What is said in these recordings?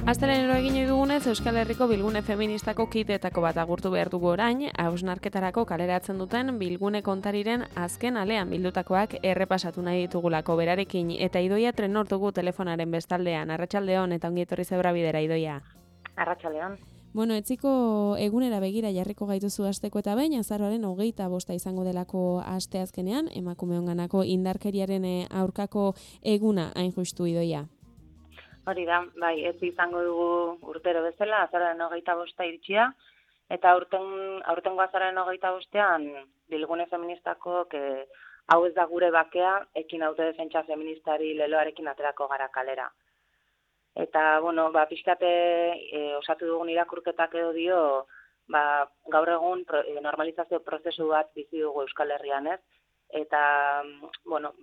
Astelehen egin dugunez, Euskal Herriko bilgune feministako kideetako bat agurtu behar dugu orain, hausnarketarako kaleratzen duten bilgune kontariren azken alean bildutakoak errepasatu nahi ditugulako berarekin, eta Idoia Trenor dugu telefonaren bestaldean. Arratsaldeon eta ongi etorri Zebra Bidera, Idoia. Arratsaldeon. Bueno, etziko egunera begira jarriko gaituzu asteko eta behin, azaroaren 25 izango delako asteazkenean, emakumeonganako indarkeriaren aurkako eguna hain justu, Idoia. Hori da, bai, ez izango dugu urtero bezala, azaroaren 25 iritsia, eta aurtengo azaroaren 25ean bilgune feministako hau ez da gure bakea, ekin autodefentsa feministari leloarekin aterako gara kalera. Eta, bueno, pixkate osatu dugun irakurketak edo dio, gaur egun normalizazio prozesu bat bizi dugu Euskal Herrian, ez? Eta, bueno,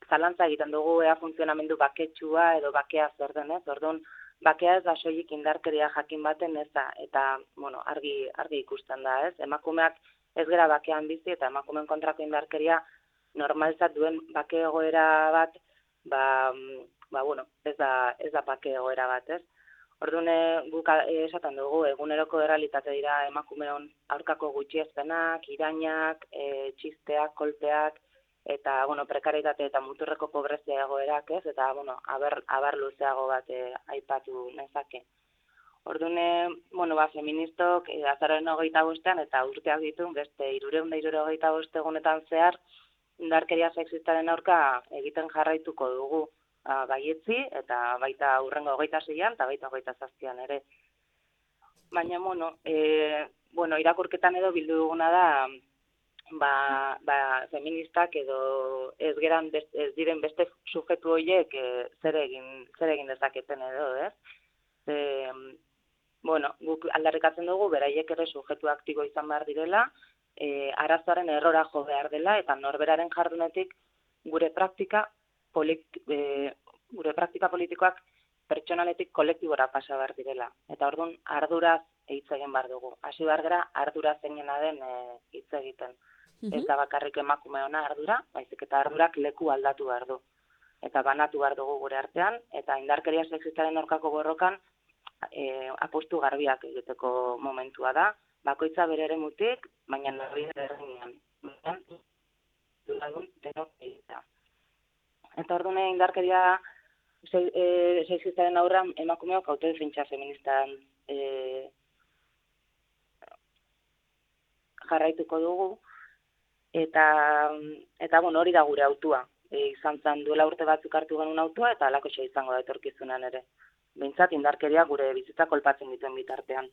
zalantza egiten dugu ea funtzionamendu baketsua edo bakea zer den, ez? Orduan, bakea ez da soilik indarkeria jakin baten ez da, eta, bueno, argi ikusten da, ez? Emakumeak ez gera bakean bizi eta emakumeen kontrako indarkeria normalizat duen bake egoera bat, bueno, ez da bake egoera bat, ez? Orduan, guk esaten dugu, eguneroko errealitate dira emakumeon aurkako gutxiespenak, irainak, txisteak, kolpeak, eta, bueno, prekarietate eta muturreko pobrezia egoerak, ez? Eta, bueno, abar luzeago bat aipatu nezake. Orduan, bueno, feministok azaroaren 25ean eta urteak ditu, beste 365 egunetan zehar, indarkeria sexistaren aurka egiten jarraituko dugu baietzi, eta baita hurrengo 26an eta baita 27an ere. Baina, bueno, irakurketan edo bildu duguna da, feministak edo ez diren beste sujetu horiek zer egin dezaketen edo, ez? Bueno, guk aldarrikatzen dugu, beraiek ere sujetu aktibo izan behar direla, arazoaren errora jo behar dela, eta norberaren jardunetik gure praktika politikoak pertsonaletik kolektibora pasa behar direla. Eta orduan arduraz hitz egin behar dugu. Hasi behar gara ardura zeinena den hitz egiten. Ez da bakarrik emakumeona ardura, baizik eta ardurak leku aldatu behar du. Eta banatu behar dugu gure artean, eta indarkeria sexistaren aurkako borrokan apustu garbiak egiteko momentua da. Bakoitza bere eremutik, baina norbide berdinean. Eta orduan indarkeria sexistaren aurran emakumeok autodefentsa feministan jarraituko dugu. Eta bueno, hori da gure autua. Izan zen duela urte batzuk hartu genuen autua, eta halakoxe izango da etorkizunan ere. Behintzat indarkeria gure bizitza kolpatzen dituen bitartean.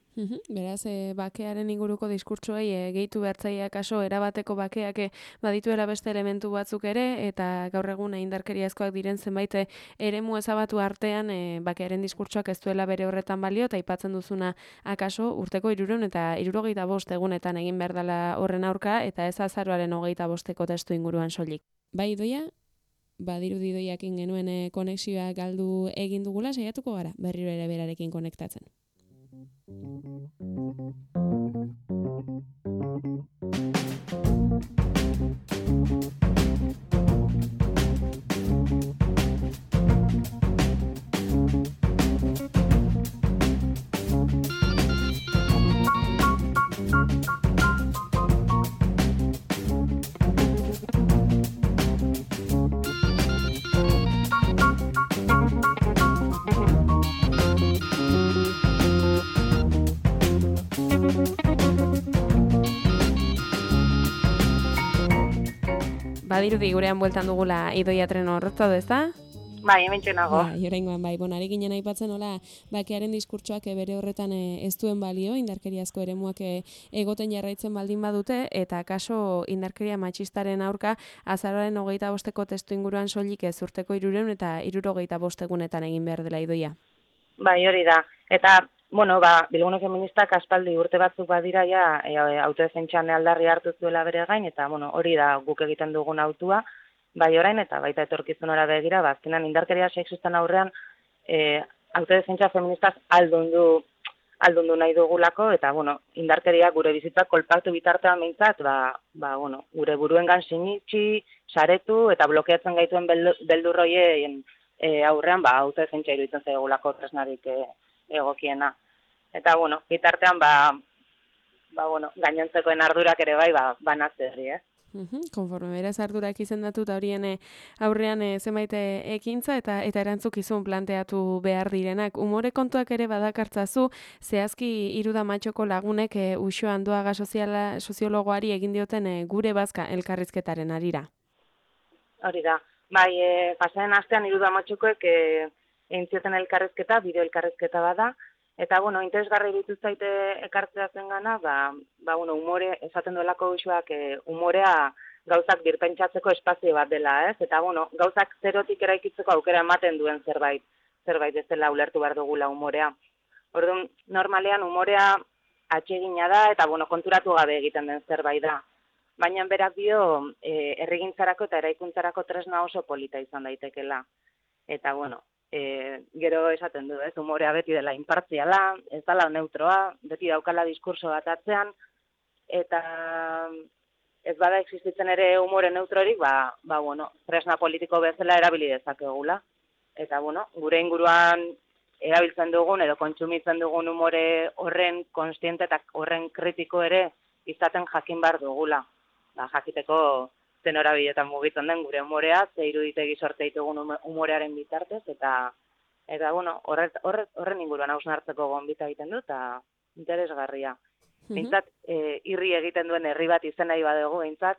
Beraz, bakearen inguruko diskurtsoei gehitu behartzaia kaso erabateko bakeak badituela beste elementu batzuk ere, eta gaur egun indarkeriazkoak diren zenbait eremu ezabatu artean bakearen diskurtsoak ez duela bere horretan balio, eta aipatzen duzuna akaso urteko 365 egunetan egin behar dela horren aurka, eta ez azaroaren 25 testu inguruan soilik. Bai, Idoia? Badirudi Idoiakin genuen konexioa galdu egin dugula, saiatuko gara berriro ere berarekin konektatzen. Badirudi gurean bueltan dugula Idoia Trenor, zaude, ezta? Bai, hementxe nago. Oraingoan bai, ari ginen aipatzen nola bakearen diskurtsoak bere horretan ez duen balio, indarkeriazko eremuak egoten jarraitzen baldin badute, eta kaso indarkeria matxistaren aurka azaroaren 25eko testu inguruan soilik ez urteko 300 eta 75 egunetan egin behar dela Idoia. Bai, hori da. Eta, Bilgune Feministak aspaldi urte batzuk badira ja autodefentsan aldarri hartu zuela bere gain, eta hori da guk egiten dugun autua, bai orain eta baita etorkizunera begira, azkenan indarkeria sexistan aurrean autodefentsa feministak aldundu nahi dugulako, eta indarkeria gure bizitza kolpatu bitartean behintzat, gure buruengan sinitxi, saretu eta blokeatzen gaituen beldurroien aurrean autodefentsa iruditzen zaigulako tresnarik egokiena. Eta bitartean gainontzekoen ardurak ere bai banatzerri, Konforme beraz ardurak izendatu eta horien aurrean zenbait ekintza eta erantzukizun planteatu behar direnak. Umore kontuak ere badakartzazu, zehazki Iruda Matxoko lagunek Uxo Anduaga soziologoari egin dioten gure bazka elkarrizketaren arira. Hori da. Bai, pasaren astean Iruda Matxokoek egin zioten elkarrizketa, bideo elkarrizketa bada, eta interesgarri dituz zaite ekartzea zengana, umore esaten duelako Uxoak umorea gauzak birpentsatzeko espazio bat dela, ez? Eta gauzak zerotik eraikitzeko aukera ematen duen zerbait ez dela ulertu behar dugula umorea. Orduan, normalean umorea atsegina da eta konturatu gabe egiten den zerbait da. Baina berak dio herrigintzarako eta eraikuntzarako tresna oso polita izan daitekela. Eta gero esaten du, ez, umorea beti dela inpartziala, ez dela neutroa, beti daukala diskurso bat atzean, eta ez bada existitzen ere umore neutrorik, tresna politiko bezala erabili dezakegula. Eta gure inguruan erabiltzen dugun edo kontsumitzen dugun umore horren konstiente eta horren kritiko ere izaten jakin behar dugula. Jakiteko zen horabiletan mugitzen den gure umorea, ze iruditegi sorte ditugun umorearen bitartez, eta horren inguruan hausnartzeko gonbita egiten du, eta interesgarria. Bintzat, irri egiten duen herri bat izen nahi badugu, bintzat,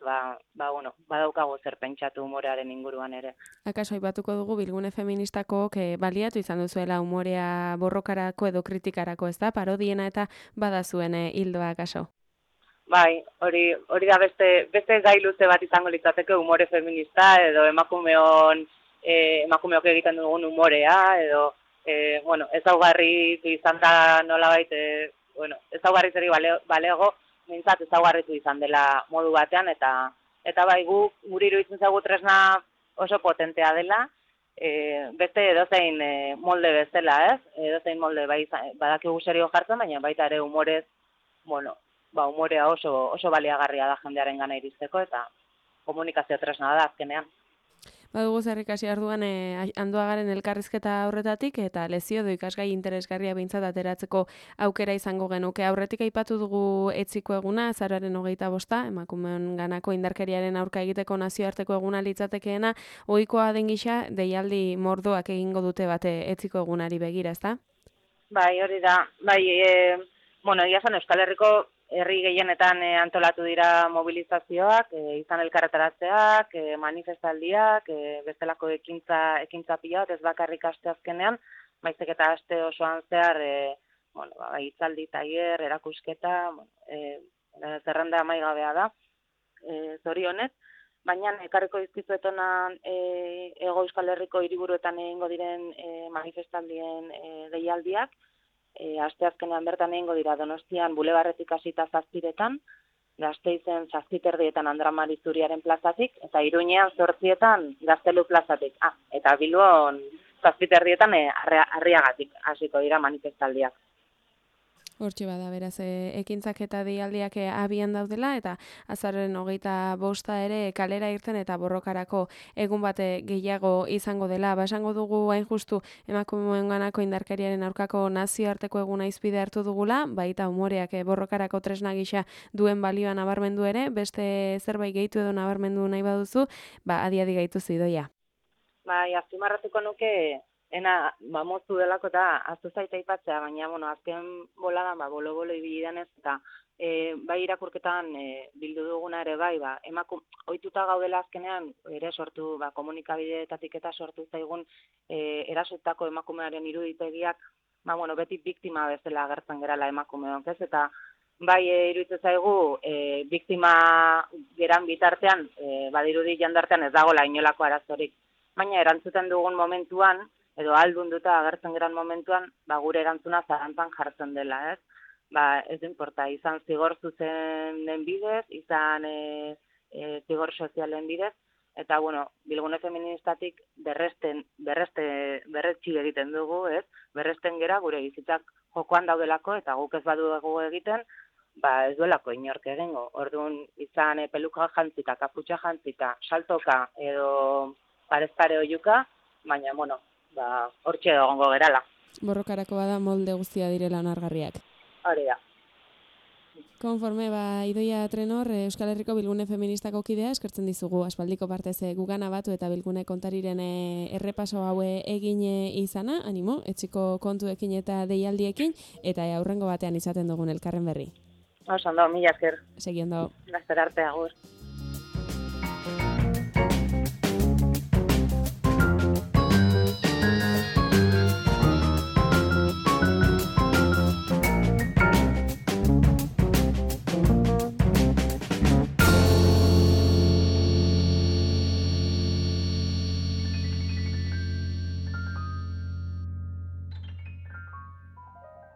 badaukago zer pentsatu umorearen inguruan ere. Akaso aipatuko dugu Bilgune Feministako baliatu izan duzuela umorea borrokarako edo kritikarako, ez da? Parodiena eta badazuen hildoa akaso. Bai, hori da beste gai luze bat izango litzateke umore feminista edo emakumeok egiten dugun umorea edo ezaugarritu izan da nolabait ezaugarritzeri balego mintzat ezaugarritu izan dela modu batean eta bai guri iruditzen zaigu tresna oso potentea dela beste edozein molde bezala, ez? Edozein molde badakigu serio jartzen, baina baita ere umorez umorea oso baliagarria da jendearen gana iristeko eta komunikazio tresna da azkenean. Badugu zerrikasi arduan Anduagaren elkarrizketa horretatik eta lezio edo ikasgai interesgarria behintzat ateratzeko aukera izango genuke. Aurretik aipatu dugu etziko eguna, azaroaren 25, emakumeen ganako indarkeriaren aurka egiteko nazioarteko eguna litzatekeena, ohikoa den gisa deialdi mordoak egingo dute bate etziko egunari begira, ezta? Bai, hori da. Bai, egia zen Euskal Herriko herri gehienetan antolatu dira mobilizazioak, izan elkarretaratzeak, manifestaldiak, bestelako ekintza pila bat, ez bakarrik aste azkenean, baizik eta aste osoan zehar, hitzaldi, tailer, erakusketa, zerrenda amaigabea da, zorionez, baina ekarriko dizkizuetona Hego Euskal Herriko hiriburuetan egingo diren manifestaldien deialdiak, asteazkenean bertan egingo dira Donostian Bulebarretik hasita 7etan, Gasteizen 7:30 Andra Mari Zuriaren plazatik, eta Iruñean 8etan Gaztelu plazatik. Eta Bilbon 7:30 Arriagatik hasiko dira manifestaldiak. Hortxe bada, beraz, ekintzak eta deialdiak abian daudela, eta azaroaren 25 ere kalera irten eta borrokarako egun bate gehiago izango dela. Basango dugu hain justu emakumeen ganako indarkeriaren aurkako nazioarteko eguna izpide hartu dugula, baita umoreak borrokarako tresna gisa duen balioa nabarmendu ere, beste zerbait gehitu edo nabarmendu nahi baduzu, adi gaitu zidoia. Bai, azpimarratuko nuke moztu delako eta aztu zaita aipatzea, baina, azken boladan, bolo-bolo ibili denez, eta bai irakurketan bildu duguna ere bai, ohituta gaudela azkenean, ere sortu, komunikabideetatik eta sortu zaigun erasotako emakumearen iruditegiak, beti biktima bezala agertzen gerala emakumeok, ez? Eta bai iruditzen zaigu, biktima geran bitartean, badirudi jendartean ez dagoela inolako arazorik. Baina erantzuten dugun momentuan, edo aldunduta agertzen geran momentuan, gure erantzuna zarantzan jartzen dela, ez? Ez importa, izan zigor zuzenen bidez, izan zigor sozialen bidez, eta, Bilgune Feministatik berretsi egiten dugu, ez? Berresten gera gure bizitzak jokoan daudelako, eta guk ez badugu egiten, ez duelako inork egingo. Orduan, izan peluka jantzita, kaputxa jantzita, saltoka, edo parezpare oiuka, baina, hortxe egongo gerala. Borrokarako bada molde guztia direla onargarriak. Hori da. Konforme, Idoia Trenor, Euskal Herriko Bilgune Feministako kidea, eskertzen dizugu aspaldiko partez gugana batu eta Bilgune kontariren errepaso haue egin izana, animo, etxiko kontuekin eta deialdiekin, eta aurrengo batean izaten dugun elkarren berri. Oso ondo, mila esker. Segi ondo. Laster arte, agur.